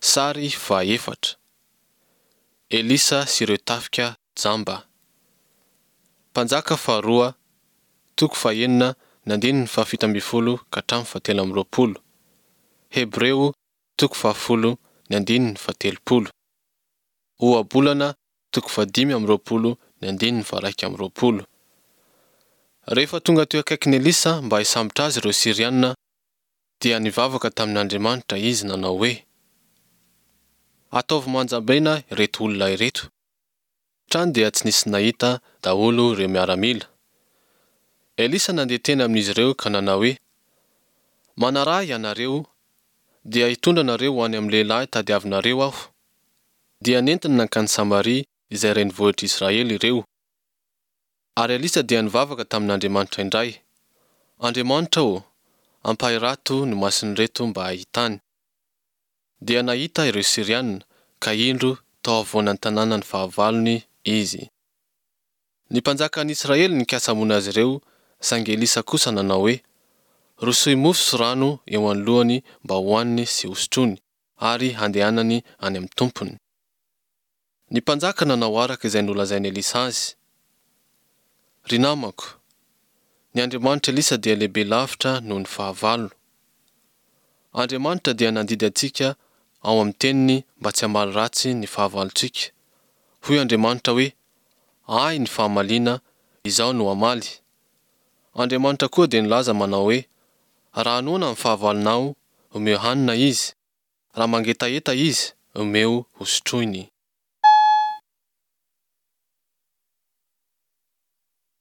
Sary fahaefatra. Elisa sy ireo tafika jamba. Mpanjaka faharoa, toko fahenina ny andininy fahafito ambin'ny folo ka hatramin'ny fahatelo amby roapolo. Hebreo toko fahafolo ny andininy fahatelopolo. Ohabolana toko fahadimy amby roapolo ny andininy faha-iraika amby roapolo. Rehefa tonga teo akaikin'i Elisa mba hisambotra azy ireo Syriana, dia nivavaka tamin'Andriamanitra izy nanao hoe, Ataovy manjambena ireto olona ireto. Trany dia tsy nisy nahita daholo ireo miaramila. Elisa nandeha teny amin'izy ireo ka nanao hoe, Manaraha ahy ianareo, dia hitondra anareo ho any amin'ny lehilahy tadiavinareo aho. Dia nentiny nankany Samaria izay renivohitr'Israely ireo. Ary Elisa dia nivavaka tamin'Andriamanitra indray, Andriamanitra ô, ampahirato ny mason'ireto mba hahitany. Dia nahita ireo Syriana, ka indro tao afovoan'ny tanànan'ny fahavalony izy. Ny mpanjakan'ny Israely nikasa hamono azy ireo, saingy Elisa kosa nanao hoe, Rosoy mofo sy rano eo anoloany mba hohaniny sy hosotroiny, ary handehanany any amin'ny tompony. Ny mpanjaka nanao araka izay nolazain'i Elisa azy. Ry namako, ny Andriamanitr'i Elisa dia lehibe lavitra noho ny fahavalo. Andriamanitra dia nandidy antsika ao amin'ny Teniny mba tsy hamaly ratsy ny fahavalontsika. Hoy Andriamanitra hoe, Ahy ny fahamaliana, Izaho no hamaly. Andriamanitra koa dia nilaza manao hoe, Raha noana ny fahavalonao, omeo hanina izy, raha mangetaheta izy, omeo hosotroiny.